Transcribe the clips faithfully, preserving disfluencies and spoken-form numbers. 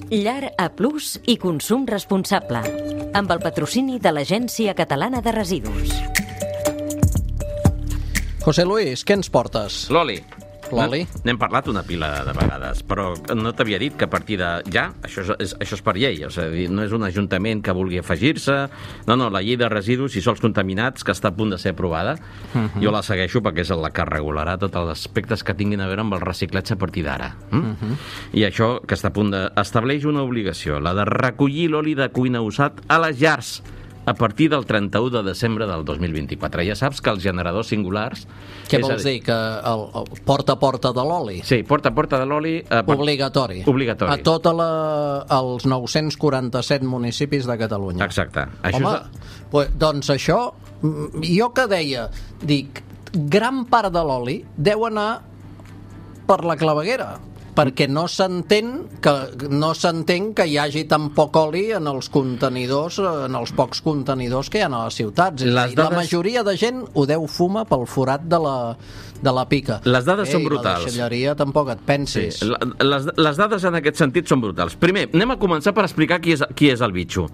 Llar A Plus i consum responsable. Amb el patrocini de l'Agència Catalana de Residus. José Luis, què ens portes? L'oli. L'oli? N'hem parlat una pila de vegades, però no t'havia dit que a partir de ja, això és, això és per llei, o sigui, no és un ajuntament que vulgui afegir-se, no, no, la llei de residus i sols contaminats, que està a punt de ser aprovada, uh-huh. jo la segueixo perquè és la que regularà tots els aspectes que tinguin a veure amb el reciclatge a partir d'ara. Mm? Uh-huh. I això que està a punt d'estableix una obligació, la de recollir l'oli de cuina usat a les llars, a partir del trenta-u de desembre del dos mil vint-i-quatre. Ja saps que els generadors singulars... Què vols dir? Que el, el porta a porta de l'oli? Sí, porta a porta de l'oli... Eh, per... Obligatori. Obligatori. A tots els nou-cents quaranta-set municipis de Catalunya. Exacte. Això Home, és... pues, doncs això, jo que deia, dic, gran part de l'oli deu anar per la claveguera, perquè no s'entén que no s'entén que hi hagi tan poc oli en els contenidors, en els pocs contenidors que hi ha a les ciutats. Les dades... La majoria de gent ho deu fumar pel forat de la, de la pica. Les dades Ei, són brutals. La deixalleria tampoc et pensis. Sí, les, les dades en aquest sentit són brutals. Primer, anem a començar per explicar qui és, qui és el bitxo.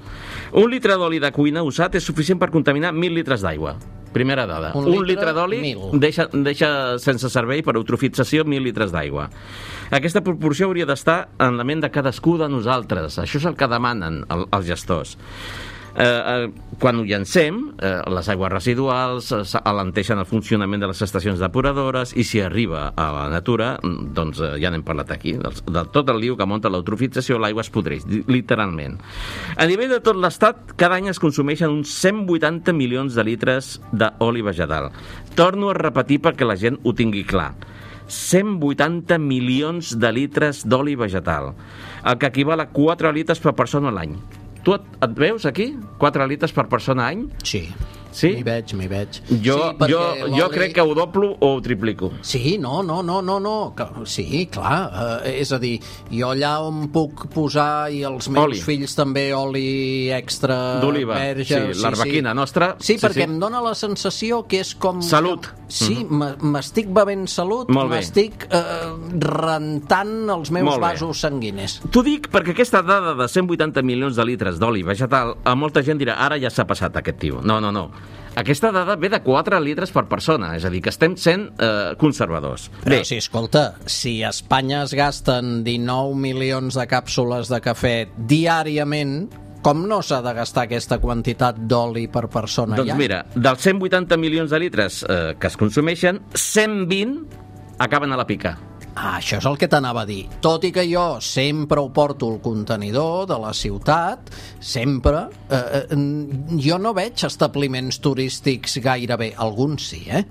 Un litre d'oli de cuina usat és suficient per contaminar mil litres d'aigua. Primera dada. Un, un litre, litre d'oli deixa, deixa sense servei per eutrofització mil litres d'aigua. Aquesta proporció hauria d'estar en la ment de cadascú de nosaltres. Això és el que demanen el, els gestors. Eh, eh, quan ho llancem, eh, les aigües residuals eh, alenteixen el funcionament de les estacions depuradores i si arriba a la natura, doncs eh, ja n'hem parlat aquí, del, del tot el liu que munta l'eutrofització, l'aigua es podreix, literalment. A nivell de tot l'estat, cada any es consumeixen uns cent vuitanta milions de litres d'oli vegetal. Torno a repetir perquè la gent ho tingui clar. cent vuitanta milions de litres d'oli vegetal, el que equival a quatre litres per persona a l'any. Tu et, et veus aquí? quatre litres per persona a any? Sí. Sí? M'hi veig, m'hi veig. Jo, sí, jo, jo crec que ho doblo o ho triplico. Sí, no, no, no, no, no. Sí, clar. Uh, és a dir, jo allà on puc posar, i els meus oli. fills també, oli extra d'oliva, verge. Sí, l'arbequina sí. nostra. Sí, perquè sí. em dóna la sensació que és com... Salut. Sí, mm-hmm. m'estic bevent salut, m'estic uh, rentant els meus vasos sanguinis. T'ho dic perquè aquesta dada de cent vuitanta milions de litres d'oli vegetal, a molta gent dirà, ara ja s'ha passat aquest tio. No, no, no. Aquesta dada ve de quatre litres per persona, és a dir, que estem sent eh, conservadors. Però Bé. sí, escolta, si a Espanya es gasten dinou milions de càpsules de cafè diàriament, com no s'ha de gastar aquesta quantitat d'oli per persona? Doncs ja? mira, dels cent vuitanta milions de litres eh, que es consumeixen, cent vint acaben a la pica. Ah, això és el que t'anava a dir. Tot i que jo sempre ho porto al contenidor de la ciutat, sempre, eh, eh, jo no veig establiments turístics gairebé, alguns sí, eh?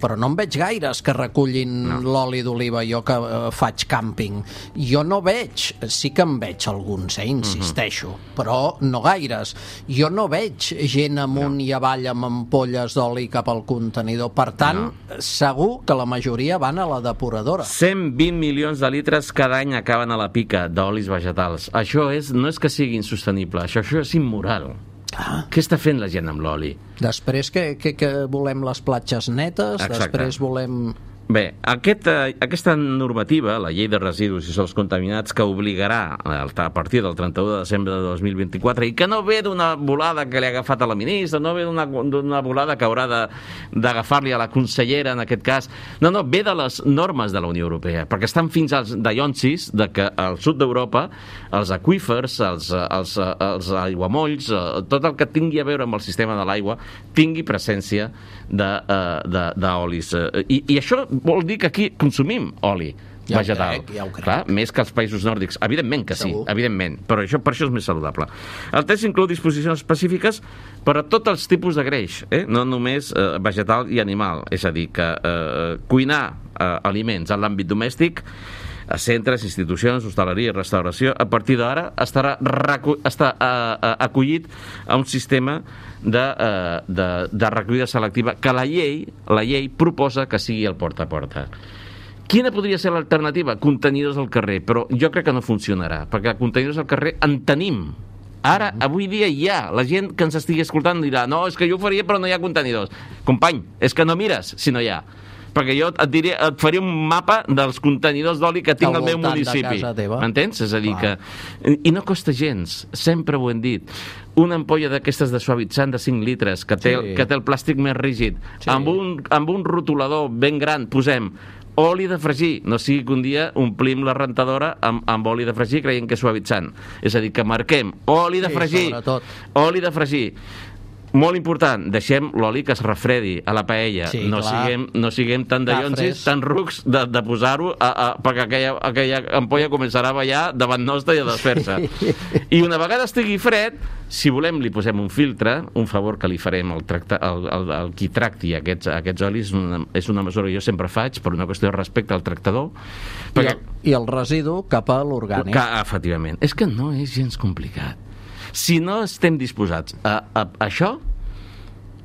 Però no en veig gaires que recullin no. l'oli d'oliva, jo que eh, faig càmping. Jo no veig, sí que en veig alguns, eh, insisteixo, uh-huh. però no gaires. Jo no veig gent amunt no. i avall amb ampolles d'oli cap al contenidor. Per tant, no. segur que la majoria van a la depuradora. cent vint milions de litres cada any acaben a la pica d'olis vegetals. Això és, no és que sigui insostenible, això, això és immoral. Ah. Què està fent la gent amb l'oli? Després que, que, que volem les platges netes, Exacte. després volem... Bé, aquest, eh, aquesta normativa, la llei de residus i sols contaminats, que obligarà a partir del trenta-u de desembre de dos mil vint-i-quatre, i que no ve d'una volada que li ha agafat a la ministra, no ve d'una volada que haurà d'agafar-li a la consellera, en aquest cas, no, no, ve de les normes de la Unió Europea, perquè estan fins als dallonsis de que al sud d'Europa els aqüífers, els, els, els aiguamolls, tot el que tingui a veure amb el sistema de l'aigua, tingui presència d'olis. I, I això vol dir que aquí consumim oli ja vegetal. Crec, ja ho crec. Clar, més que els països nòrdics. Evidentment que sí, Segur. evidentment, però això, per això és més saludable. El text inclou disposicions específiques per a tots els tipus de greix, eh? no només eh, vegetal i animal. És a dir, que eh, cuinar eh, aliments en l'àmbit domèstic, a centres, institucions, hostaleria i restauració, a partir d'ara estarà recu- està uh, acollit a un sistema de, uh, de, de recollida selectiva que la llei, la llei proposa que sigui el porta a porta. Quina podria ser l'alternativa? Contenidors al carrer, però jo crec que no funcionarà, perquè contenidors al carrer en tenim. Ara, avui dia hi ha. La gent que ens estigui escoltant dirà, no, és que jo ho faria però no hi ha contenidors. Company, és que no mires si no hi ha. perquè jo et, diria, et faria un mapa dels contenidors d'oli que tinc al meu municipi. M'entens? És a dir, que... I no costa gens, sempre ho hem dit. Una ampolla d'aquestes de suavitzant de cinc litres, que té, sí. que té el plàstic més rígid, sí. amb, un, amb un rotulador ben gran, posem oli de fregir, no sigui que un dia omplim la rentadora amb, amb oli de fregir creient que és suavitzant. És a dir, que marquem oli de fregir, sí, oli de fregir. Molt important, deixem l'oli que es refredi a la paella. Sí, no, siguem, no siguem tan dallonsis, tan rucs de, de posar-ho, a, a, perquè aquella, aquella ampolla començarà a ballar davant nostre i a desfer-se. Sí. I una vegada estigui fred, si volem li posem un filtre, un favor que li farem al, tracta, al, al, al qui tracti aquests, aquests olis, una, és una mesura que jo sempre faig, per una qüestió de respecte al tractador. Perquè... I, el, I el residu cap a l'orgànic. Efectivament. És que no és gens complicat. Si no estem disposats a, a, a això,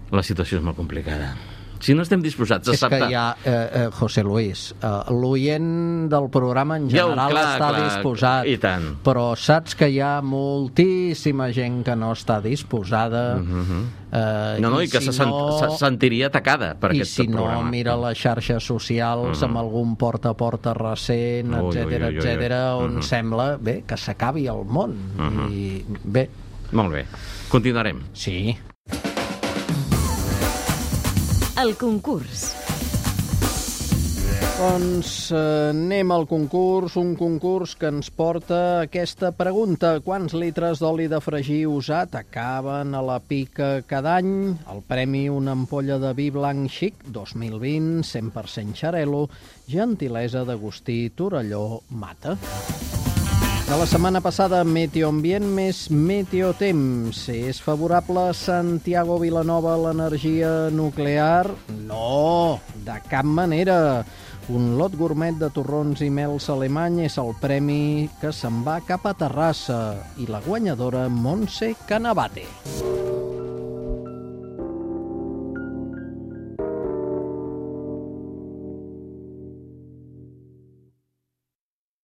la situació és molt complicada. Si no estem disposats a acceptar... És que hi ha, eh, eh, José Luis, eh, l'oient del programa en general ja, clar, està clar, disposat, i tant. Però saps que hi ha moltíssima gent que no està disposada... Uh-huh. eh, no, no, i, i que si se, sent, no, se sentiria atacada per aquest si programa. I si no, mira les xarxes socials uh-huh. amb algun porta a porta recent, etcètera, etcètera, on uh-huh. sembla bé que s'acabi el món. Uh-huh. I bé... Molt bé. Continuarem. Sí. El concurs. Doncs eh, anem al concurs, un concurs que ens porta aquesta pregunta. Quants litres d'oli de fregir usat acaben a la pica cada any? El premi, una ampolla de vi blanc xic dos mil vint, cent per cent Xarel·lo, gentilesa d'Agustí Torelló Mata. De la setmana passada, meteoambient més meteotemps. És favorable a Santiago Vilanova l'energia nuclear? No, de cap manera. Un lot gourmet de torrons i mels alemany és el premi que se'n va cap a Terrassa. I la guanyadora, Montse Canavate.